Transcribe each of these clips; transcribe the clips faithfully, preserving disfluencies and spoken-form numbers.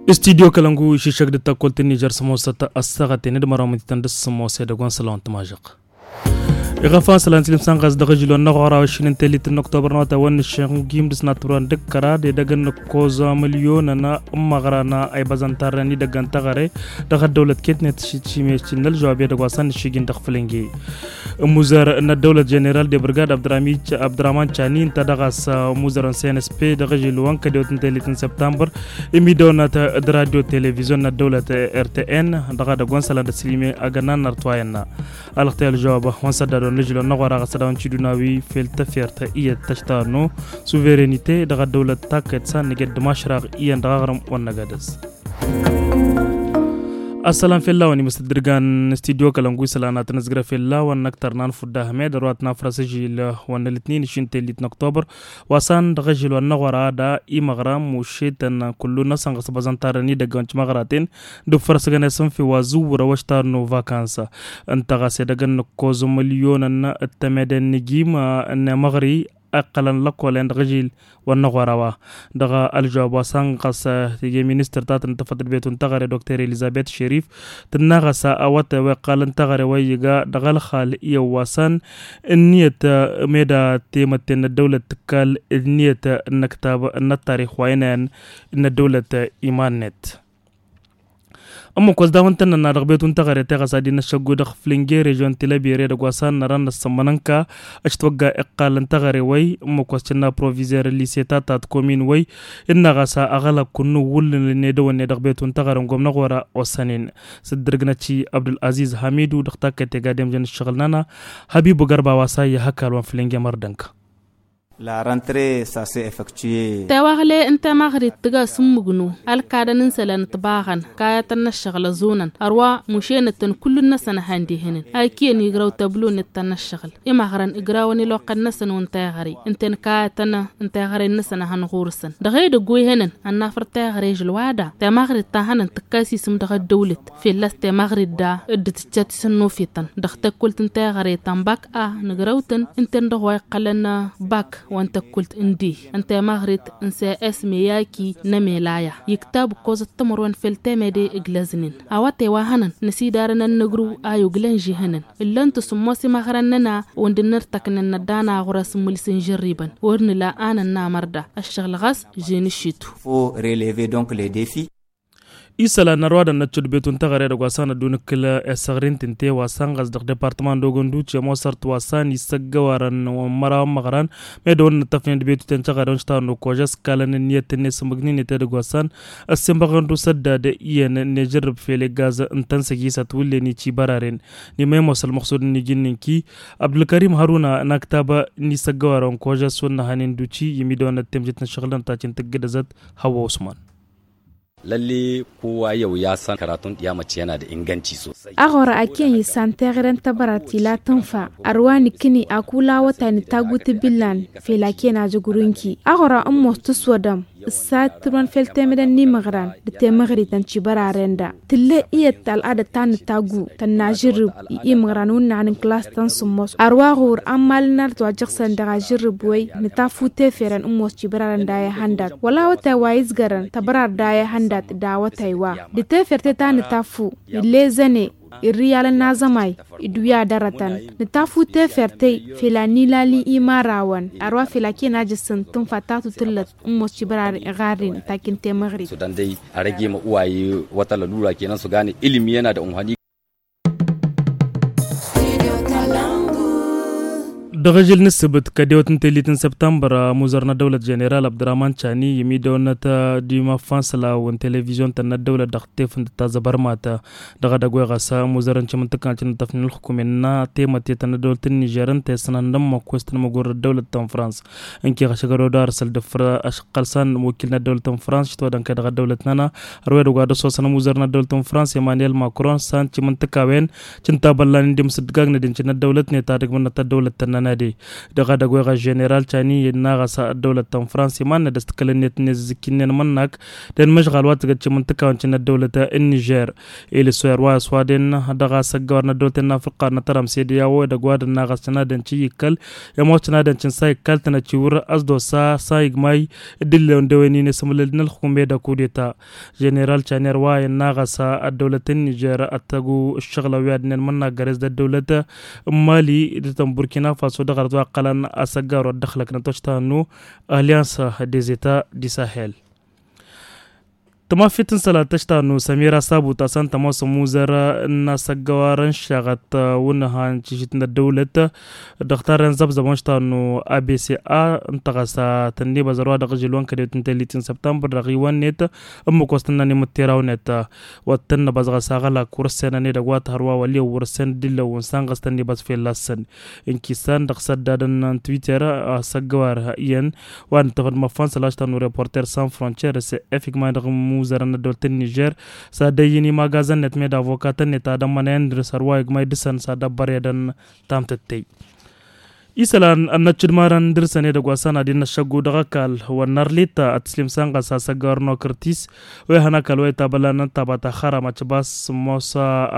Studyo kălăngu iššăk d-takkălt n-nižăr s-mosăt ăssaɣăt tenăd măraw mătităn d-s-mosăt d-agwan sălawăn tămažăɣ. Iɣăfan sălan s-ilmsan ɣas dăɣ-ažil wa n-năɣora wa šin n-tellit n-oktobăr n-awătay wa n-nǝššin gim d-s n-atăbran d-kăra d-edăgg n-năkkoẓ mălyonăn n-măɣra n-aybăzăn tarrăn idăgg n-taɣăre dăɣ-ăddăwlăt ketnet šimeš n-ălžăwab edăgg wa s-ad-nǝššigin dăɣ-fǝlǝnge. Ămmuzăr n-ăddăwlăt ženeral de brigad abdăraman cani ǝnta dăɣ-a-s ămmuzăr n-cnsp dăɣ-ažil wa n-kădewăt n-tellit n-septambăr imidăwnăt d-radio televizyon n-ăddăwlăt rtn dăɣ-edăgg wa n-sălan d-ăslime agănna n-artwayăn n-a alăɣtăy ălžăwab wa n-săddadon n-ažil wa n-năɣora ɣas ad-dăɣ-wăn ciduna wi fel tăfert iyyăt tăštanu suverenite dăɣ-ăddăwlăt taket s-ad-nǝjăd d-mašrăɣ iyyăn dăɣ-aɣrǝm wa n-năgadăs. Ăssălam fell-a-wen imǝstăt d-irgan studyo kălăngu isălan ad-tăn-ǝzgrăf fell-a-wen n-ăktăr n-anfud d-ahmed ărwat n-afrăs ažil wa n-ălǝtnin išin tellit n-oktobăr wa s-an dăɣ-ažil wa n-năɣora da imăɣra mušetăn kullu-năsăn ɣăsbăẓăn tarrăn idăgg wa n-timăɣraten d-ufăr s-gănesăn fi wa zǝwwărăw ăštar n-uvakans ǝnta ɣas edăgg n-nǝkkoẓ mălyonăn d-temede n-nǝjim n-emăɣri iqqălăn lăkkolen dăɣ-ažil wa n-năɣora wa dăɣ-ălžăwab wa s-an ɣas tije ministăr ta tăn-tăfăt d-betun taɣăre dokter elizabet šerif tǝnna ɣas awătay wa iqqălăn taɣăre wa iyyăga dăɣ-ălxal iyyăw wa s-an ǝnniyăt meda temătte n-ăddăwlăt tǝkkal ǝnniyăt n-ăktab n-ăttarix wa inăyăn n-ăddăwlăt iman-net. Ǝmmǝk wa s-dawăn tăn-nănna dăɣ-betun taɣăre teɣăs ad-in-ăššăggu dăɣ-flinge režion tilăbire dăgg wa s-ad-năra n-ăssămmănănka ăštwăgga iqqal n-taɣăre wa-y ǝmmǝk wa s-cǝnna provizer n-lise ta ta t-komin wa-y innă ɣas aɣălak kunnu wullan l-nedăwănne dăɣ-betun taɣăre n-gomnăɣ wăr-a osănen s-dd-ǝrgǝnăt i-abdul-aziz hamidu dăɣ-takkăt i-gad i-amjăn ǝššăɣǝl-nănăɣ habibu gărba wa s-a iyyăh ăkall wa n-flinge mărdănk. La rentre s-a s-effectuer. Tewaɣle n-temăɣrit tǝga s-ǝmmǝgnu ălkadăn n-isălan ǝtbaɣăn kayătăn n-ăššăɣǝl ăẓunăn ărwa mušenăt-tăn kullu-năsăn a han-dihǝnǝn a ikiyăn igrăw tăblo-net ta n-ăššăɣǝl imăɣrăn ǝgrawăn iloqqăn-năsăn wa n-teɣăre ǝnta-en kayătăn n-teɣăre-năsăn a hăn ɣur-săn dăɣ-edăgg wa ihănăn ănnafăr teɣăre žăl wa da temăɣrit ta hănăn tǝkka s-isǝm dăɣ-ăddăwlăt fălla-s temăɣrit da dd-tǝjjat isănnufităn dăɣ-tăkkult n-teɣăre ta n-bak a nǝgrăw-tăn ǝnta-en dăɣ-wa iqqălăn bak wa n-tăkkult n-dih n-temăɣrit n-s s meyaki n-emelaya iktab ǝkkoẓăt timărwen fel temede ǝglăznen awătay wa hănăn năsidarăn ănnăgrǝw a yuglăn žihănăn ǝllăn-t s-ǝmmos imăɣrăn-năna wăr dd-nărtăknăn năddan aɣur-as n-imǝls n-žărribăn wăr nǝla a nănnamăr da ăššăɣǝl ɣas žen ǝššitu. Faut relever donc les defis. Isălan n-ărwadăn n-ăccud betun teɣăre dăgg-wa s-an ădduun ǝkkǝl i-ăssăɣrin tǝnte wa s-an ɣas dăɣ-departăman d-ogăn duce mosărt wa s-an isăggăwarăn wa n-măraw n-imăɣran medăwăn n-ăttăfnen d-betuten teɣăre wa n-ăštarăn okožăs kalăn ǝnniyăt-net s-ǝmmǝgnen i-tedăgg wa s-an ăssenbăɣăn d-usăddad iyyăn n-ejărrǝb fel eggaz n-tăn-săjisăt wullen icibăraren n-imăymos ălmăxsud n-iji n-inki abdulkărim hăruna n-aktab n-isăggăwarăn okožăs wa n-năhanen d-uci i-midăwăn ăttemjăt n-ăššăɣǝlăn ta cin tǝggǝdăzăt. Hăwwa usman. Lalle kowa yau ya san karatun ɗiya mace yana da inganci sosai. Aɣora aken isan teɣren tăbărat ila tǝnfa ărwa nǝkkǝni akula wătay nǝtaggu tǝbillan fel aken ajăgrunki aɣora ǝmmos tǝswădăm ǝssat tǝrwen fel temăden n-imăɣran d-temăɣrităn cibăraren da tǝlle iyyăt al'adăt ta nǝtaggu tănna žărrǝb i-imăɣran wǝnnaɣ n-klas tăn-sǝmmos ărwa ɣur-ammal n-art wa jăɣsăn dăɣ-ažărrǝb wăy nǝtaffu teferăn ǝmmos cibăraren da i-hăndat wăla awătay wa izgărăn tăbărar da i-hăndat d-awătay wa d-teferte ta nǝtaffu illezăne irriyalăn n-azămay iduya dărătăn nǝtaffu teferte fela n-ilali imarawăn ărwa fela ken ajăsăn tǝnfa ta tutǝllăt ǝmmos cibăraren iɣarrin takin temăɣrit. Sudan dai a rage ma uwaye wata lalura kenan su gane ilimi yana da unhani. Dăɣ-ažil n-ǝssǝbǝt kădewăt n-tellit n-săptămbăr ămuzăr n-ăddăwlăt ženeral abdurrahman cani i-midăwănnăt d-imăffan sălaw n-televizyon-tăn n-ăddăwlăt dăɣ-tefǝnt ta zăbărmatăn dăɣ-edăgg wa iɣăs ămuzărăn cimǝntǝkkan cinǝttăfnen ǝlxukumen n-temătte ta n-ăddăwlăt n-nižer ǝnta i-sănăhăn d-ămmăk wa s-tăn-măgurrăt ăddăwlăt ta n-frans ǝnkeɣ ašăgăr odar săl dăffăr ašăqqăl san wăkil n-ăddăwlăt ta n-frans šitwădăn kăy-dăɣ ăddăwlăt-nănăɣ ărwedăgg wa d-ăsoosăn ămuzăr n-ăddăwlăt n-frans emanuel makron san cimǝntǝkawen cǝnta băllan indi mǝsǝddǝgagnăd incǝn ăddăwlăt-net ad-ǝgmǝnnăt ăddăwlăt-tăn-nănăɣ. Dăɣ-edăgg weɣ ăženeral cani ănnaɣ a-s ăddăwlăt ta n-frans iman n-ad-ăstăkălăn-net n-ezǝzǝkki-nen mănnak d-enmăžɣal wa tǝgăt cimǝntǝkawăn cin ăddăwlăt n-nižer. Ilisoyer wa s-wa d-enna dăɣ-asăggăwar n-ăddăwlăt n-afriqa n-atăram sediya wa edăgg wa d-ănnaɣ a-s cănadăn ci ikkăl i-ămoos cănadăn cin sa ikkăl-tăn ăciwǝr ăsdos a sa igmay d-illewen d-ewen-in isǝmǝlǝl n-ălxukum edăgg kudeta. Ženeral caner wa i-ănnaɣ a-s ăddăwlăt n-nižer ăttăgu ǝššăɣǝlăn wi ad-ǝnnen mănnak gărez d-ăddăwlăt n-mali d-tăn burkina faso dăɣ-arăt wa ǝqqălăn asăggar wa dd-ăxlăknăt wa s-tannu alliansa dezeta di sahel. Tămafit n-sălat ta s-tannu sămira sabu ta s-ăntămos ămuzăr n-asăggăwar n-šaɣăt wǝnnăha n-tišit n-ăddăwlăt dăɣ-tarren zăbzăbăn s-tannu abc a ǝnta ɣas tănnibăzăr wa dăɣ-žil wa n-kădewt n-tellit n-săbtămbăr dăɣ-iwăn-net ǝmmǝk wa s-tǝnnăn imǝtteraw-net. Wa t-tănnăbăz ɣas aɣălak wăr-ǝssenăn edăgg wa t-hărwa wăl' iyyăn wăr-ǝssen d-illăwăn s-anɣăs tănnibăz fell'-asăn. N-kisan dăɣ-săddadăn n-twitter asăggăwar iyyăn wa n-ǝttăfăd măffan sălaš ta n-reporter san frontier s-efigman dăɣ-imuzărăn n-ăddăwlăt n-nižer s-ad-ăyy n-imagazăn-net med avokatăn-net ad-ămmănăyăn dăr-s hărwa igmay dăr-săn s-ad-ăbbăredăn. Tamtăttăy isălan ănnăccǝdmarăn dăr-săn edăgg wa s-anad-in n-ăššăggu dăɣ-ăkall wăr nărlit ad-tǝslim s-anɣăs asăggăwar n-okărtis wa ihăn ăkall wa itabălăn n-taba ta xăram ăccăbas s-sǝmmos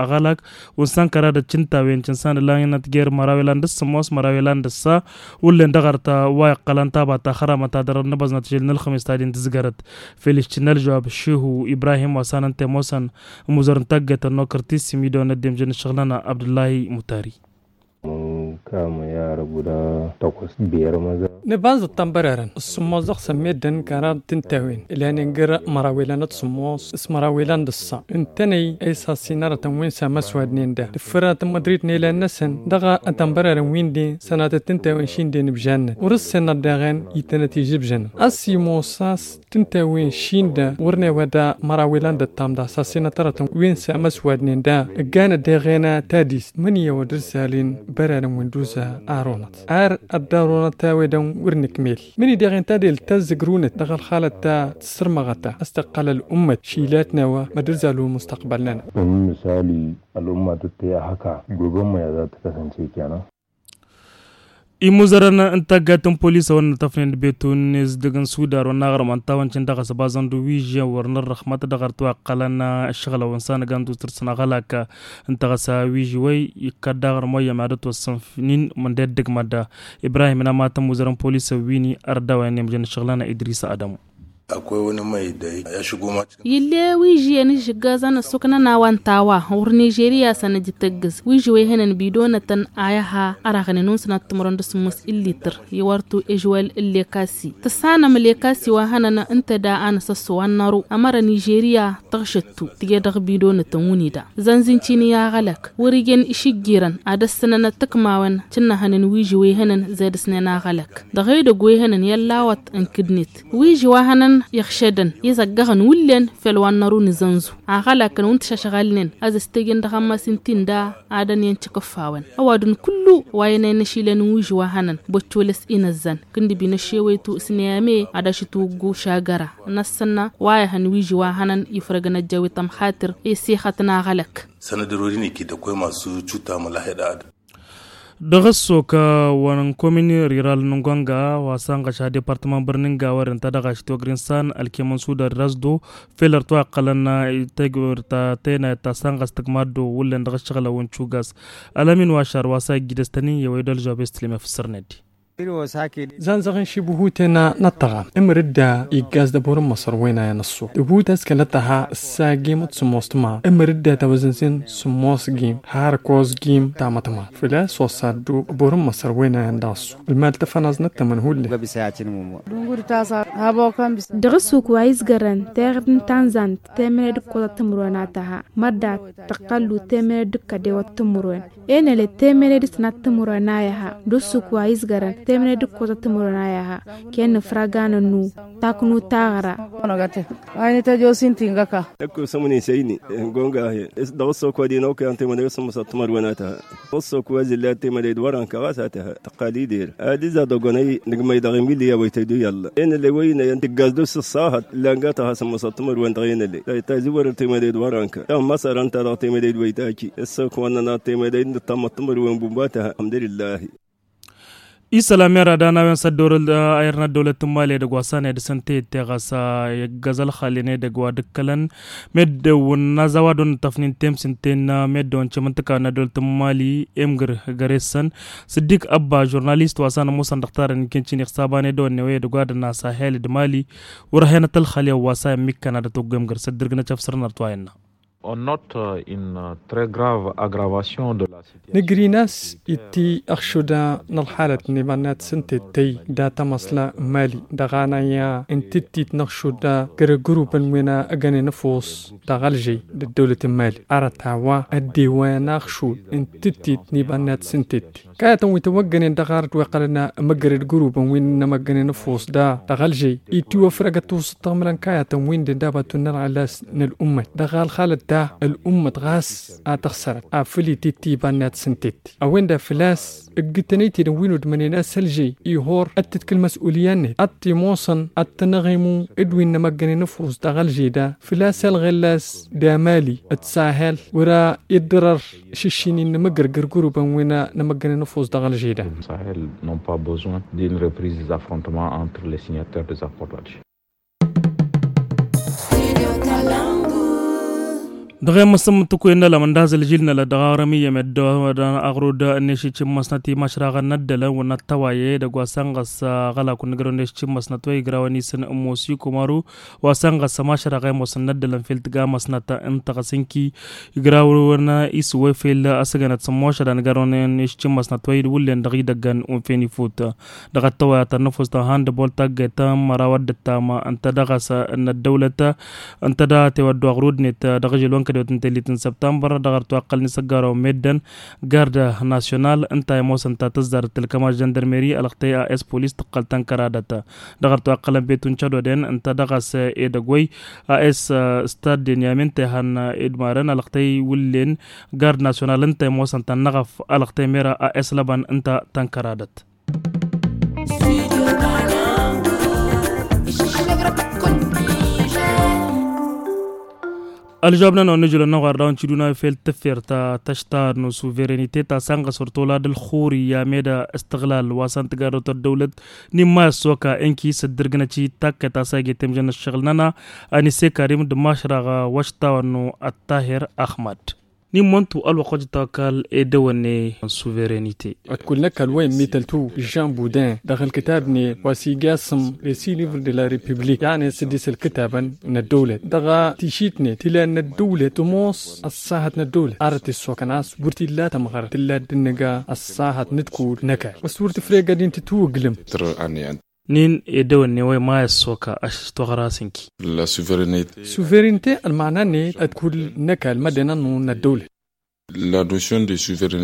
aɣălak. Wǝnsan kăra d-ăccǝntawen cǝnsan ǝllan inăt jer-măraw ilan dăɣ-sǝmmos măraw ilan dăɣ-sa wullen dăɣ-arta wa iqqălăn taba ta xăram ad-tadăr ănnăbăẓnăt žil n-ălxămis ta din tǝzgărăt. Fel iščǝnnă ălžăwab šihu ibrahim wa s-anăn temosăn ămuzăr n-taggătăn n-okărtis s-imidon ăddem žănn ǝššăɣlăn abdullahi mutari. Nǝbanzăt tănbărarăn s-sǝmmos dăɣ-săn meddǝn kăra d-tǝntawen ǝlhanen găr-măraw ilan d-sǝmmos s-măraw ilan d-ǝssa ǝntănăy a isassin arătăn wi n-samăswadnen da tǝffărăt n-mădrit n-ilan-năsăn dăɣ-tănbărarăn wi n-din sănatăt tǝntawen šindin ǝbžannăt wăr-ǝssennăt daɣen itănăt ižǝbžăn a-s imos a-s tǝnta wi n-šinda wăr n-ewăda măraw ilan d-ăttam d-asassinăt arătăn wi n-samăswadnen da ǝgganăt deɣena tadist măniyăwăd ǝrzalin bărarăn wi n-duza aronăt ar ăddarunăt a-wedăn wăr nǝkmel măni deɣen tadelt ta ǝzzǝgrunăt dăɣ-ălxalăt ta tǝssărmăɣăta a-s tăqqăl ăl'ummăt šilat n-ewa măd-ǝrzal wi n-mustăqbăl-nănăɣ. Ănn măsali ăl'umma tǝttăy a hăka gob ămmăya za tǝkăsăn cekena. Imuzărăn n-taggat n-polis a-wa n-ătăfnen d-betun n-ezdǝg n-sudar wa n-aɣrǝm ăntawăn cǝn dăɣ-asăbazăn d-wižyăn wăr n-ărrăxmăt dăɣ-ărtwa ăqqălăn ǝššăɣǝlăwăn s-anăgan d-usǝrt s-ănăɣălak. Ǝnta ɣas a wižy wăy ikkăt d-aɣrǝm wăyyăm ad-ătwăssănfnin mǝnda i-dd-ǝgmăd. Ibrahim n-amatăn imuzărăn n-polis ăwwin-i ărdawăn i-nemjăn ǝššăɣǝlăn idris adămu. Ill'-e wižyăn ǝžžǝggazăn ăssuknăn a-wa ǝnta a-wa wăr nižeriya săn ǝjǝtăggǝz wižy wa ihănăn bidonătăn a i-ha ărăɣnen unǝsnăt timărăn d-sǝmmos illităr i-wărtu ežwal n-lekasi tǝssanăm lekasi wa hănăn ǝnta da a nǝsăsso wa n-năru ămăra nižeriya tăɣšăttu tǝje dăɣ-bidonătăn wǝnida zănzǝncin i-aɣălăk wăr-ijăn išǝjjirăn ad-ăssǝnănăt tǝkmawăn cǝnnăhănen wižy wa ihănăn zed ǝsnen aɣălăk dăɣ-edăgg wa ihănăn i-ăllawăt n-kǝdnet wižy wa hănăn iɣšădăn izăggăɣăn wullen fel wa n-năru n-azănzu aɣălakăn wi n-tišăšɣalnen ad-ăstejăn dăɣ-ammas n-tinda ad-ăniyăn tikǝffawăn ăwadǝm kullu wa ăynăyăn ašilăn n-wižy wa hănăn băccolăs inăzzan kǝndǝbi n-ašewăytu s-neyame ad-ašǝtwǝggu šagăra n-ăssănna wa ihăn wižy wa hănăn ifrăgăn ăjjawit ămxatǝr i-sixăt n-aɣălăk. Sănădăr wăr-in-ikid ăkkoy masu cuta mălaheḍ ad. Dăɣ-ăssok wa n-komin riral n-gonga wa s-anɣăš ad-departăman bărnin gawer ǝnta dăɣ-ašit wăgrin s-an ălkemăn sudar d-asdo fel ărtwa ăqqălăn tegwert ta tenayăt ta s-anɣăs tǝgmaddo wullen dăɣ-ašăɣlăw n-cugas. Ălămin wa šar wa s-a ijjidăs tănin i-wăy d-ălžobes tǝlmef s-sărned. Zanzăɣ n-šibhuten n-ăṭṭăɣa ǝmǝrǝdda iggas d-ăbor n-măsăr wenayăn ăṣṣu ǝbut ăskălăt ăha ǝssagim d-sǝmmos tǝmar ǝmǝrǝdda tawăzǝnzin sǝmmos gim har kos gim tamătma făl-a-s osaddu ăbor n-măsăr wenayăn d-ăṣṣu ǝlmal tăfănaẓnăt tămănhulle. Dăɣ-ăssuk wa izgărăn teɣăd n-tanzant temăne d-ǝkkoẓăt timǝrwen a tăha mărda tăqqăllu temăne d-ǝkkădewăt timǝrwen enăle temăne d-sănat timǝrwen a iha d-ăssuk wa izgărăn temăne d-ǝkkoẓăt timǝrwen a iha. Kennǝfrăganăn nu taknu taɣra. Wa inǝtăj osinti n-găka. Ǝkko sămăni săyni n-gonga he dăɣ-ăssok wa dinăwkăyăn temăne d-sămmăsăt timǝrwen a tăha. Ăssok wa zilli ad-temăne d-wărăn kăɣas a tăha tăqqal-i der ad-iza dăɣ-onăy nǝgmăy dăɣ-emilya wa ităjdu i-ălla enăle wa inăyăn tǝggaz d-sǝssahăt ǝllan ga tăha sămmăsăt timǝrwen dăɣ-enăle ta izǝwărăr temăne d-wărăn kăɣas ta n-măsărăn-ta dăɣ-temăne d-wa itaki. Ăssok wa n-nănat temăne d-nǝttămmăt timǝrwen bunba tăha ălḥămdulillah. Isălan mera d-a n-a-wen s-ăddorăl a irnă ăddăwlăt n-mali edăgg wa s-a n-edăsăn teyătte ɣas a iggăz ălxallen edăgg wa d-ǝkkălăn meddǝn n-azawa d-onăt tăfnin temsǝnten meddǝn cimǝntǝka n-ăddăwlăt n-mali emgǝr găr-essăn. Sǝddik ăbba žurnalist wa s-a n-ămoosăn dăɣ-tarăn n-kăncin ixsaban edăwănne wa edăgg wa d-ănn a-s a hel d-mali wăr-ăh enăt ălxallen wa s-a immǝkkăn ad-ătwăggu emgǝr s-ăddǝrgǝnăt efsărăn ar t-wa innă. Nǝgrin a-s itti ăɣšuda n-ălxalăt n-iba n-ad-sǝntettăy dat-ămăṣla n-mali dăɣ-anăyya n-tǝttit n-ăɣšuda gărăgrubăn wi n-ăgănen ăfuṣ dăɣ-ălžăy d-ăddăwlăt n-mali arăt a-wa ăddewăyăn aɣšud n-tǝttit n-iba n-ad-sǝntettăy kayătăn wi tăwăggănen dăɣ-arăt wi ăqqălăn măggăred gărubăn wi n-ămăggănen ăfuṣ da dăɣ-ălžăy itiwăfrăgăt tusǝttăɣmǝlăn kayătăn wi n-dănda batu n-ălɣălas n-ăl'ummăt dăɣ-alxalăt ta ăl'ummăt ɣas a tăɣsărăt afǝl itǝtti iba n-ad-sǝntettăy a-wen-dăɣ făl-a-s ǝggǝtăn ăytedăn wi n-udmănen a-s ălžăy ihor ad-tǝtkǝl măs'ulya-net ad-t-imoṣăn ad-tăn-ăɣimu d-wi n-ămăggănen ăfuṣ dăɣ-ălžăy da făl-a-s ălɣălas d-amali d-sahel wăr-a iddărăr šǝššin-in n-amǝggărgăr gurubăn wi n-ămăggănen ăfuṣ dăɣ-ălžăy da. Sahel n'ont pas besoin d'une reprise des affrontements entre les signataires des accords d'alger. Dăɣ-e măsăm tǝkwen n-alăm n-dazăl žil n-alăm dăɣ-aɣrăm iyyăm ed dăɣ-aɣrud n-ešici n-măsnăt i-mašraɣăn n-ăddălăn wăr n-ăttăwaye dăgg-wa sănɣăs aɣălakun n-gărăw n-ešici n-măsnăt wa igrawăn isǝn n-mosi kumaru wa sănɣăs mašraɣ i-mosăn n-ăddălăn fel tǝga măsnăt n-taɣăsǝnki igrawăn isǝwwăy fel ăsăgănăt s-ămmošăd anăgărăwăn n-ešici n-măsnăt wa iwǝllen dăɣ-idăggăn unfen ifut. Dăɣ-ăttăwăyatăn n-ăfuss ta handball taggayt ta n-măraw ăddăttam ǝnta dăɣ-s n-ăddăwlăt ǝnta da tewăddu aɣrud-net dăɣ-žel wa n-kădewăt n-tellit n-săbtambăr dăɣ-arăt wa ăqqălăn isăggarăwăn meddǝn gard nasyonal ǝnta i-ămoosăn ta tǝzzarăt tǝlkămaš žăndărmeri ălăɣtăy a s polis tǝqqăl tănkăradăt. Dăɣ-arăt wa ăqqălăn betu n-cădoden ǝnta dăɣ-s edăgg-wăy a s stad-den i-amin tehan edmarăn ălăɣtăy wǝllen gard nasyonal ǝnta i-ămoosăn ta n-năɣăf ălăɣtăy mera a s lăbăn ǝnta tănkăradăt. Ălžăwab-nănăɣ n-ijulăn n-aɣwar dawăn tiduna fel tǝffert ta tăštar n-suverenite ta sănɣăs wăr tolad ălxuri i-ameda ǝstăɣlal wa s-antǝgarrăwt ăddăwlăt n-imma ăssoka ǝnki s-ăddărgǝnăt i-takkăt a-s a iget temjăn ăššăɣǝl-nănăɣ. Ăniseka rim d-mašraɣ wăšṭawăn n-ăttahir aɣmad. N-immăntu ălwăqq wa j-tăwăkkal edăwănne n-suverenite. Ătkulnăk alwăy n-mităltu žan budin dăɣ-ălkǝtab-net wa s-ija asǝm resi livre de la republik i-anăy s-dd-isălkǝtabăn n-ăddăwlăt dăɣ-tišit-net tǝla n-ăddăwlăt tămoos ăṣṣahăt n-ăddăwlăt arăt issokăn a-s wăr t-illa tămɣăr tǝlla dd-innǝga ăṣṣahăt n-ǝdkul n-ăkall wa s-wăr tǝfreg ad-intǝtwǝglǝm. N-in edăwănne wa i-ma ăssoka ăššăš toɣra s-ǝnki. Suverenite ălmaɣna-net ădkul n-ăkall mădden ănnu n-ăddăwlăt.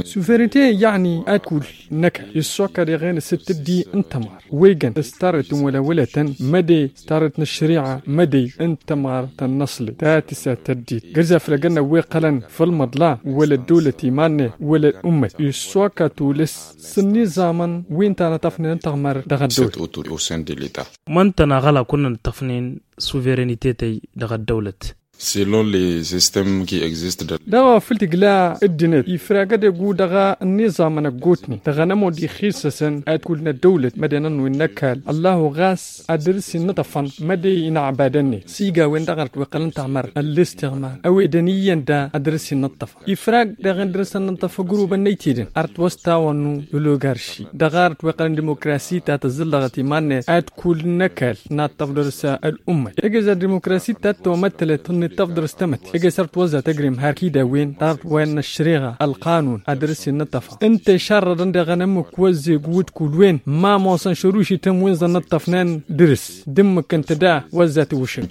Suverenite yăɣni ădkul n-ăkall issoka deɣen s-tǝddi n-tămɣăr wegăn s-tarret n-wălawălătăn măde s-tarret n-ăššăriɣa măde n-tămɣăr tăn-năṣlăt ta tǝsat tăddit gărzaflăgăn n-ăwweɣ qălăn făll-măḍla wăla ăddăwlăt iman-net wăla ălummăt issoka tulǝs s-ănniẓamăn wi ǝnta a năṭṭăfnen n-tăɣmăr dăɣ-ăddăwlăt. Măntăn aɣălak wăr nănăṭṭăfnen suverenitetăy dăɣ-ăddăwlăt. Selon les system qui existe dăɣ-wa făl t-igla ăddinăt ifrag edegu dăɣ-ănniẓamăn ăggootnen dăɣ-anămud ixisăsăn ad-kull n-ăddăwlăt mădden ănnu innă ăkall ăllahu ɣas ad-dăr-s innăṭṭăfăn măde inăɣbadăn-net s-iga a-wen-dăɣ arăt wa iqqălăn taɣmărt ăllistiɣmar ăwedăn iyyăn da ad-dăr-s innăṭṭăfăn ifrag dăɣ-en dăr-s ad-nǝnṭṭăf ăgrubăn n-ăytedăn arăt wa s-tawănnu ălogărši dăɣ-arăt wa iqqălăn dimokrasi ta tǝzzǝllăɣăt iman-net ad-kull n-ăkall naṭṭăf dăr-s ăl'ummăt egez ad-dimokrasi ta t-tomăttălăt tăn-iṭṭăf dăr-s tamătte egez arăt wa ăzzat ăgrim har kid a-wen dăɣ-arăt wa innă ăššăriɣa ălqanun ad-dăr-s innăṭṭăfăn ǝnta išarrădăn dăɣ-enămmǝk wa ăzzegu d-kull-wen ma ămoosăn šărušităn wi n-zăn nǝṭṭăfnen dăr-s d-ǝmmǝk ǝnta da wa ăzzat iwǝšǝn.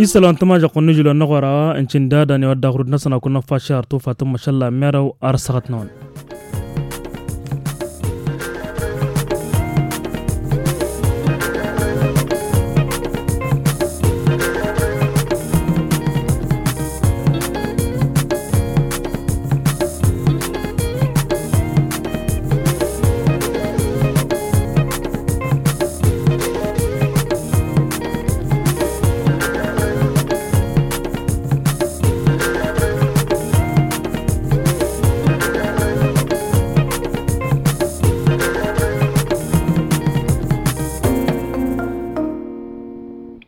Isălan tămažăɣ-kăwăn n-ažǝl wa n-aɣora ǝncǝn dada n-iwădda ɣur-dd-năsăn a kunna fašar tufa tǝmmăšălla merăw ar săɣăt-năwăn.